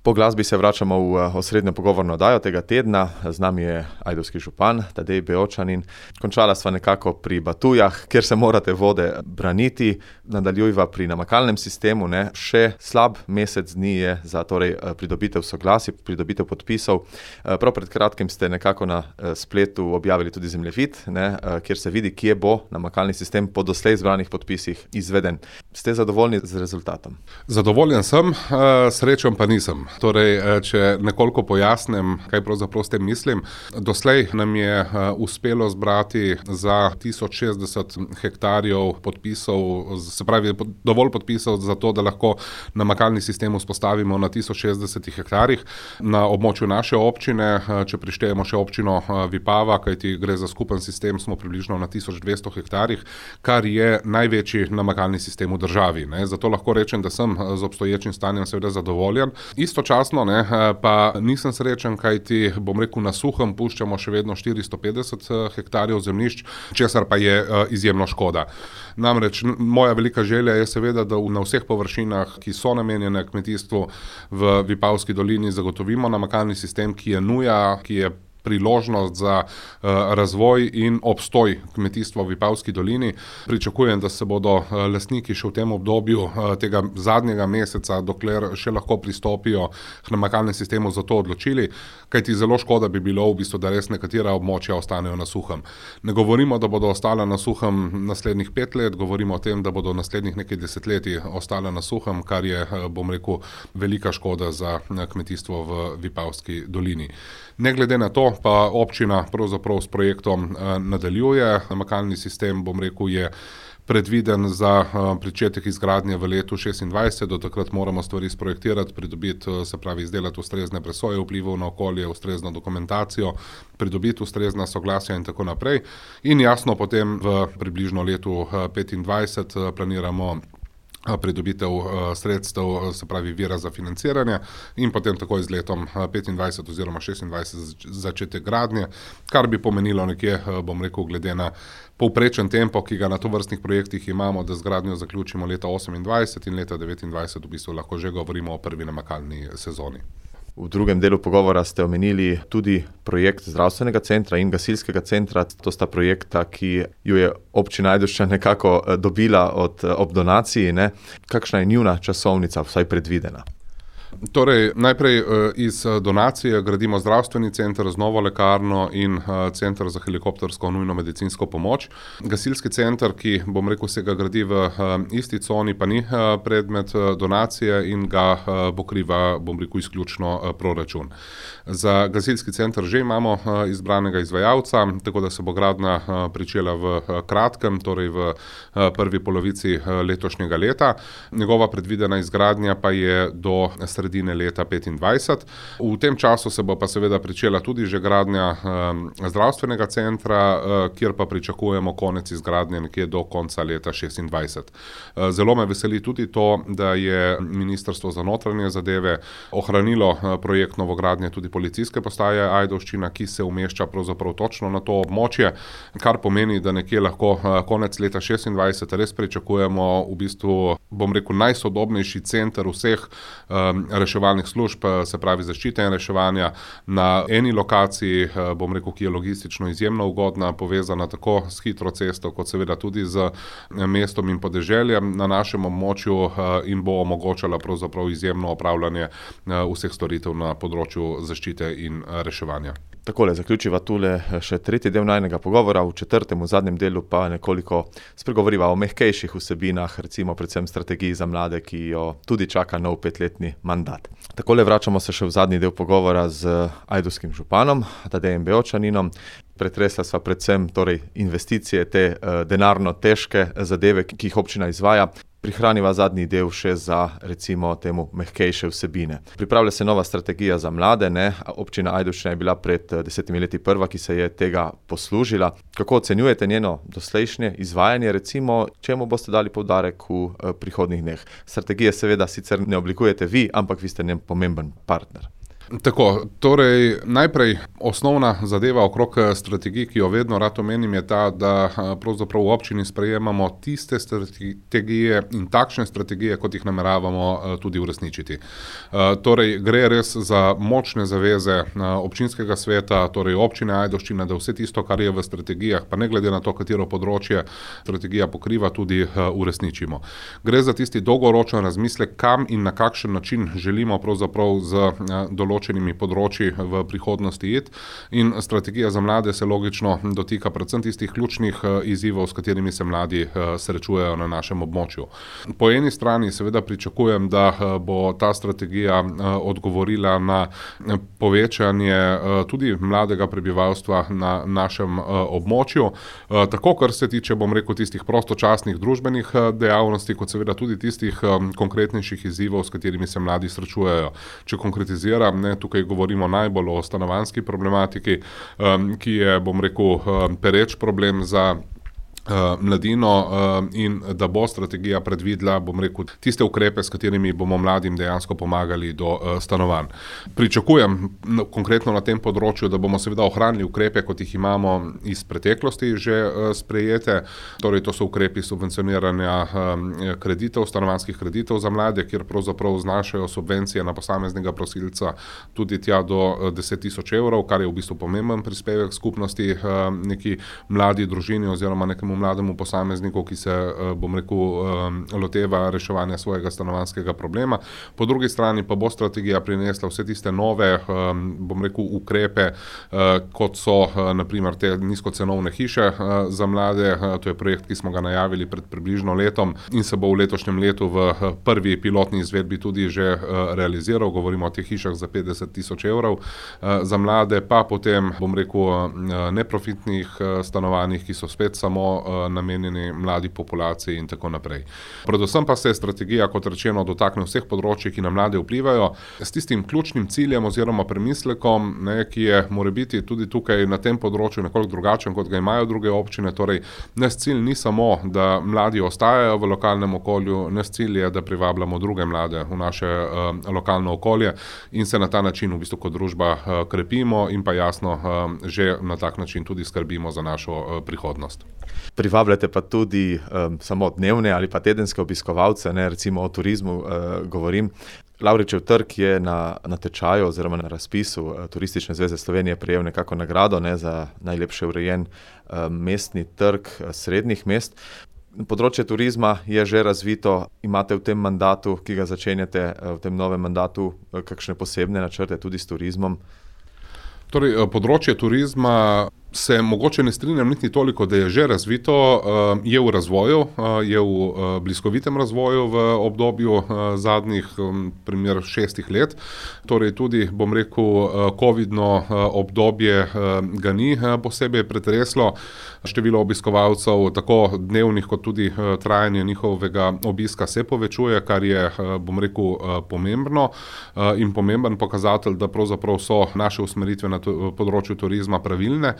Po glasbi se vračamo v osrednjo pogovorno oddajo tega tedna. Z nami je ajdovski župan Tadej Beočanin. Končala sva nekako pri Batujah, kjer se morate vode braniti. Nadaljujva pri namakalnem sistemu. Še slab mesec dni je za pridobitev soglasij, pridobitev podpisov. Prav pred kratkim ste nekako na spletu objavili tudi zemljevid, kjer se vidi, kje bo namakalni sistem po doslej zbranih podpisih izveden. Ste zadovoljni z rezultatom? Zadovoljen sem, srečen pa nisem. Torej, če nekoliko pojasnim, kaj pravzaprav s tem mislim. Doslej nam je uspelo zbrati za 1060 hektarjev podpisov, se pravi dovolj podpisov za to, da lahko namakalni sistem vzpostavimo na 1060 hektarjih. Na območju naše občine, če prištejemo še občino Vipava, kajti gre za skupen sistem, smo približno na 1200 hektarjih, kar je največji namakalni sistem v državi. Zato lahko rečem, da sem z obstoječim stanjem seveda zadovoljen. Istočasno pa nisem srečen, kajti na suhem puščamo še vedno 450 hektarjev zemljišč, česar pa je izjemno škoda. Namreč moja velika želja je seveda, da na vseh površinah, ki so namenjene kmetijstvu v Vipavski dolini, zagotovimo namakalni sistem, ki je nuja, ki je priložnost za razvoj in obstoj kmetijstva v Vipavski dolini. Pričakujem, da se bodo lastniki še v tem obdobju tega zadnjega meseca, dokler še lahko pristopijo k namakalnemu sistemu, za to odločili, kajti zelo škoda bi bilo v bistvu, da res nekatera območja ostanejo na suhem. Ne govorimo, da bodo ostala na suhem naslednjih 5 let, govorimo o tem, da bodo naslednjih nekaj desetletij ostala na suhem, kar je, velika škoda za kmetijstvo v Vipavski dolini. Ne glede na to, pa občina pravzaprav s projektom nadaljuje. Namakalni sistem, je predviden za pričetek izgradnje v letu 2026. Do takrat moramo stvari sprojektirati, pridobiti, se pravi izdelati ustrezne presoje vplivov na okolje, ustrezno dokumentacijo, pridobiti ustrezna soglasja in tako naprej. In jasno, potem v približno letu 2025 planiramo pridobitev sredstev, se pravi vira za financiranje, in potem takoj z letom 2025 oziroma 2026 začetek gradnje, kar bi pomenilo nekje, glede na povprečen tempo, ki ga na tovrstnih projektih imamo, da z gradnjo zaključimo leta 2028 in leta 2029 v bistvu lahko že govorimo o prvi namakalni sezoni. V drugem delu pogovora ste omenili tudi projekt zdravstvenega centra in gasilskega centra. To sta projekta, ki ju je občina Ajdovščan nekako dobila ob donaciji. Kakšna je njuna časovnica, vsaj predvidena? Torej, najprej iz donacije gradimo zdravstveni center z novo lekarno in center za helikoptersko nujno medicinsko pomoč. Gasilski center, ki se ga gradi v isti coni, pa ni predmet donacije in ga pokriva, izključno proračun. Za gasilski center že imamo izbranega izvajalca, tako da se bo gradnja pričela v kratkem, torej v prvi polovici letošnjega leta. Njegova predvidena izgradnja pa je do sredine leta 2025. V tem času se bo pa seveda pričela tudi že gradnja zdravstvenega centra, kjer pa pričakujemo konec izgradnje nekje do konca leta 2026. Zelo me veseli tudi to, da je Ministrstvo za notranje zadeve ohranilo projekt novogradnje tudi policijske postaje Ajdovščina, ki se umešča pravzaprav točno na to območje, kar pomeni, da nekje lahko konec leta 2026 res pričakujemo v bistvu, najsodobnejši center vseh reševalnih služb, se pravi zaščite in reševanja na eni lokaciji, ki je logistično izjemno ugodna, povezana tako s hitro cesto, kot seveda tudi z mestom in podeželjem na našem območju, in bo omogočala pravzaprav izjemno opravljanje vseh storitev na področju zaščite in reševanja. Takole, zaključiva tule še tretji del najnega pogovora, v četrtem, v zadnjem delu pa nekoliko spregovoriva o mehkejših vsebinah, recimo predvsem strategiji za mlade, ki jo tudi čaka nov 5-letni mandat. Takole, vračamo se še v zadnji del pogovora z ajdovskim županom Tadejem Beočaninom. Pretresla sva predvsem investicije, te denarno težke zadeve, ki jih občina izvaja. Prihraniva zadnji del še za, recimo, temu mehkejše vsebine. Pripravlja se nova strategija za mlade, Občina Ajdovščina je bila pred 10 leti prva, ki se je tega poslužila. Kako ocenjujete njeno doslejšnje izvajanje, recimo, čemu boste dali poudarek v prihodnjih dneh? Strategije seveda sicer ne oblikujete vi, ampak vi ste njen pomemben partner. Tako, torej najprej osnovna zadeva okrog strategij, ki jo vedno rad omenim, je ta, da pravzaprav v občini sprejemamo tiste strategije in takšne strategije, kot jih nameravamo tudi uresničiti. Torej gre res za močne zaveze občinskega sveta, torej občine Ajdovščina, da vse tisto, kar je v strategijah, pa ne glede na to, katero področje strategija pokriva, tudi uresničimo. Gre za tisti dolgoročen razmislek, kam in na kakšen način želimo pravzaprav z določenimi področji v prihodnosti iti, in strategija za mlade se logično dotika predvsem tistih ključnih izzivov, s katerimi se mladi srečujejo na našem območju. Po eni strani seveda pričakujem, da bo ta strategija odgovorila na povečanje tudi mladega prebivalstva na našem območju, tako kar se tiče, bom rekel, tistih prostočasnih družbenih dejavnosti, kot seveda tudi tistih konkretnejših izzivov, s katerimi se mladi srečujejo. Če konkretiziram, tukaj govorimo najbolj o stanovanjski problematiki, ki je, bom rekel, pereč problem za mladino, in da bo strategija predvidela, bom rekel, tiste ukrepe, s katerimi bomo mladim dejansko pomagali do stanovanj. Pričakujem konkretno na tem področju, da bomo seveda ohranili ukrepe, kot jih imamo iz preteklosti že sprejete, torej to so ukrepi subvencioniranja kreditov, stanovanjskih kreditov za mlade, kjer pravzaprav znašajo subvencije na posameznega prosilca tudi tja do 10 tisoč evrov, kar je v bistvu pomemben prispevek skupnosti, neki mladi družini oziroma nekemu mlademu posamezniku, ki se, bom rekel, loteva reševanja svojega stanovanjskega problema. Po drugi strani pa bo strategija prinesla vse tiste nove, bom rekel, ukrepe, kot so na primer te nizkocenovne hiše za mlade. To je projekt, ki smo ga najavili pred približno letom in se bo v letošnjem letu v prvi pilotni izvedbi tudi že realiziral. Govorimo o teh hišah za 50 tisoč evrov za mlade, pa potem, bom rekel, neprofitnih stanovanjih, ki so spet samo namenjeni mladi populaciji in tako naprej. Predvsem pa se strategija, kot rečeno, dotakne vseh področij, ki na mlade vplivajo, s tistim ključnim ciljem oziroma premislekom, ki je morebiti tudi tukaj na tem področju nekoliko drugačen, kot ga imajo druge občine. Torej, naš cilj ni samo, da mladi ostajajo v lokalnem okolju, naš cilj je, da privabljamo druge mlade v naše lokalno okolje in se na ta način v bistvu kot družba krepimo in pa jasno že na tak način tudi skrbimo za našo prihodnost. Privabljate pa tudi samo dnevne ali pa tedenske obiskovalce, recimo o turizmu govorim. Lavričev trg je na tečaju oziroma na razpisu Turistične zveze Slovenije prejel nekako nagrado za najlepše urejen mestni trg srednjih mest. Področje turizma je že razvito. Imate v tem mandatu, ki ga začenjate, v tem novem mandatu, kakšne posebne načrte tudi s turizmom? Torej, področje turizma se mogoče ne strinjam niti toliko, da je že razvito, je v razvoju, je v bliskovitem razvoju v obdobju zadnjih primer 6 let. Torej tudi, bom rekel, covidno obdobje ga ni posebej pretreslo. Število obiskovalcev, tako dnevnih kot tudi trajanje njihovega obiska se povečuje, kar je, bom rekel, pomembno in pomemben pokazatelj, da pravzaprav so naše usmeritve na področju turizma pravilne.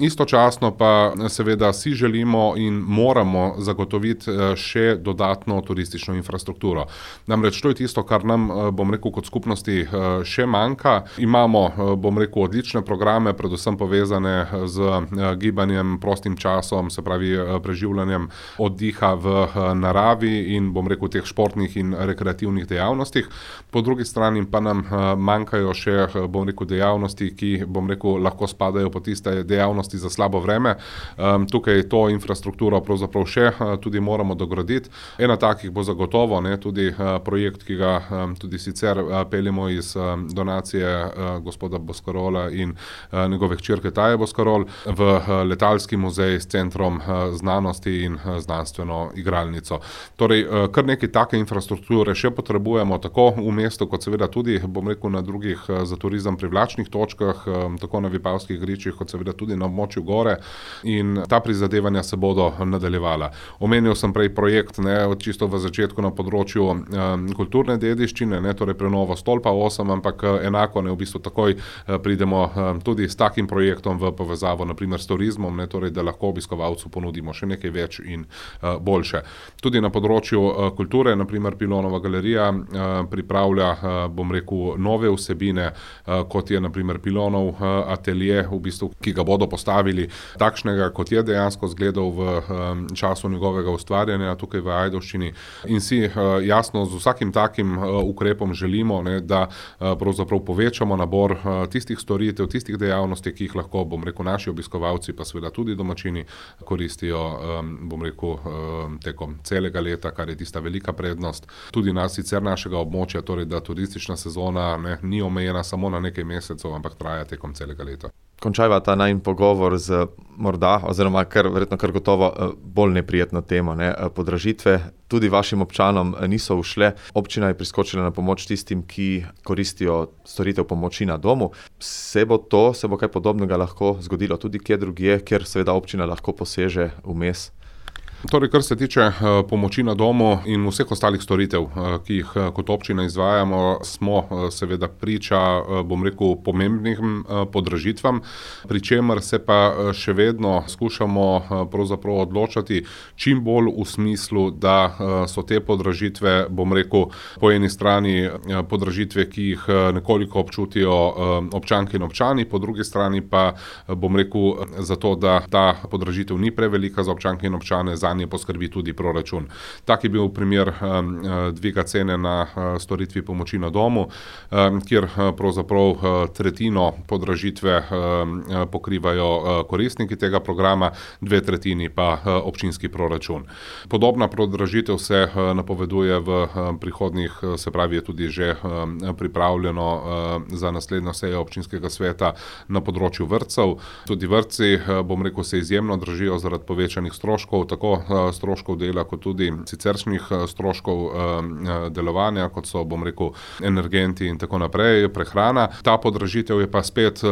Istočasno pa seveda si želimo in moramo zagotoviti še dodatno turistično infrastrukturo. Namreč to je tisto, kar nam, bom rekel, kot skupnosti še manjka. Imamo, bom rekel, odlične programe, predvsem povezane z gibanjem, prostim časom, se pravi preživljanjem oddiha v naravi in, bom rekel, teh športnih in rekreativnih dejavnostih. Po drugi strani pa nam manjkajo še, bom rekel, dejavnosti, ki, bom rekel, lahko spadajo po tiste dejavnosti za slabo vreme. Tukaj to infrastrukturo pravzaprav še tudi moramo dograditi. Ena takih bo zagotovo tudi projekt, ki ga tudi sicer peljemo iz donacije gospoda Boscarola in njegove hčerke Taje Boscarol v letalski muzej s centrom znanosti in znanstveno igralnico. Torej, kar nekaj take infrastrukture še potrebujemo, tako v mestu, kot seveda tudi, bom rekel, na drugih za turizem privlačnih točkah, tako na Vipavskih gričih, kot seveda tudi zlasti na območju gore, in ta prizadevanja se bodo nadaljevala. Omenil sem prej projekt, čisto v začetku na področju kulturne dediščine, torej prenovo stolpa 8, ampak enako v bistvu takoj pridemo tudi s takim projektom v povezavo naprimer s turizmom, torej da lahko obiskovalcu ponudimo še nekaj več in boljše. Tudi na področju kulture, naprimer Pilonova galerija pripravlja, nove vsebine, kot je naprimer Pilonov atelje, v bistvu, ki ga bodo postavili takšnega, kot je dejansko izgledal v času njegovega ustvarjanja tukaj v Ajdovščini, in si jasno z vsakim takim ukrepom želimo, da pravzaprav povečamo nabor tistih storitev, tistih dejavnosti, ki jih lahko, naši obiskovalci, pa seveda tudi domačini koristijo, tekom celega leta, kar je tista velika prednost tudi sicer našega območja, torej da turistična sezona ni omejena samo na nekaj mesecev, ampak traja tekom celega leta. Končajva ta najin pogovor z morda, oziroma verjetno kar gotovo bolj neprijetno temo. Podražitve tudi vašim občanom niso ušle. Občina je priskočila na pomoč tistim, ki koristijo storitev pomoči na domu. Se bo kaj podobnega lahko zgodilo tudi kje drugje, kjer seveda občina lahko poseže vmes? Torej, kar se tiče pomoči na domu in vseh ostalih storitev, ki jih kot občina izvajamo, smo seveda priča, pomembnim podražitvam, pri čemer se pa še vedno skušamo pravzaprav odločati čim bolj v smislu, da so te podražitve, po eni strani podražitve, ki jih nekoliko občutijo občanke in občani, po drugi strani pa, zato, da ta podražitev ni prevelika za občanke in občane, zanje poskrbi tudi proračun. Tak je bil primer dviga cene na storitvi pomoči na domu, kjer pravzaprav tretjino podražitve pokrivajo koristniki tega programa, 2/3 pa občinski proračun. Podobna podražitev se napoveduje v prihodnjih, se pravi, je tudi že pripravljeno za naslednjo sejo občinskega sveta na področju vrtcev. Tudi vrtci, se izjemno dražijo zaradi povečanih stroškov, tako stroškov dela, kot tudi siceršnjih stroškov delovanja, kot so, energenti in tako naprej, prehrana. Ta podražitev je pa spet,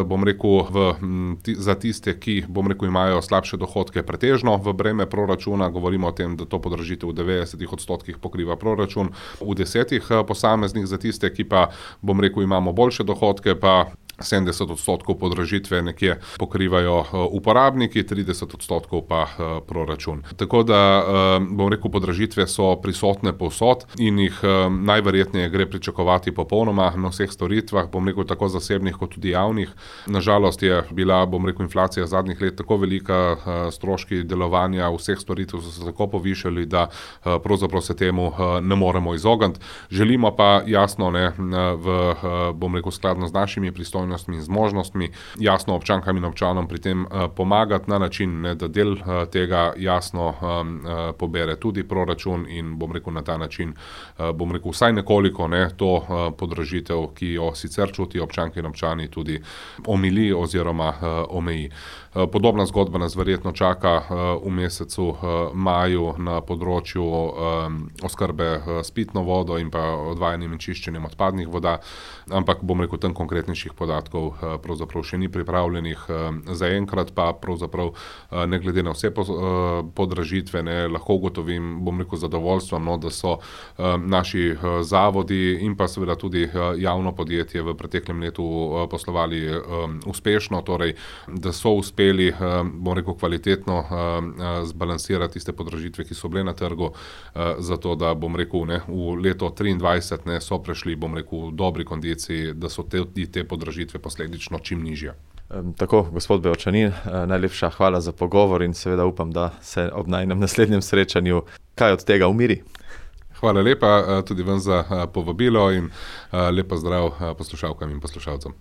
za tiste, ki, imajo slabše dohodke, pretežno v breme proračuna. Govorimo o tem, da to podražitev v 90% pokriva proračun, v 10% posameznih. Za tiste, ki pa, imamo boljše dohodke, pa 70% podražitve nekje pokrivajo uporabniki, 30% pa proračun. Tako da, podražitve so prisotne povsod in jih najverjetneje gre pričakovati popolnoma na vseh storitvah, tako zasebnih kot tudi javnih. Nažalost je bila, inflacija zadnjih let tako velika, stroški delovanja vseh storitev so se tako povišali, da pravzaprav se temu ne moremo izogniti. Želimo pa jasno, skladno z našimi pristojnostmi in zmožnostmi, jasno občankam in občanom pri tem pomagati na način, da del tega jasno pobere tudi proračun in, na ta način, vsaj nekoliko to podražitev, ki jo sicer čutijo občanke in občani, tudi omili oziroma omeji. Podobna zgodba nas verjetno čaka v mesecu maju na področju oskrbe s pitno vodo in pa odvajanjem in čiščenjem odpadnih voda, ampak tam konkretnejših podatkov pravzaprav še ni pripravljenih. Zaenkrat pa pravzaprav ne glede na vse podražitve lahko ugotovim, z zadovoljstvom, da so naši zavodi in pa seveda tudi javno podjetje v preteklem letu poslovali uspešno, torej da so uspeli, kvalitetno zbalansirati tiste podražitve, ki so bile na trgu, zato da, v leto 2023 so prešli, v dobri kondiciji, da so te podražitve posledično čim nižje. Tako, gospod Bevčanin, najlepša hvala za pogovor in seveda upam, da se ob najinem naslednjem srečanju kaj od tega umiri. Hvala lepa tudi vam za povabilo in lep pozdrav poslušalkam in poslušalcem.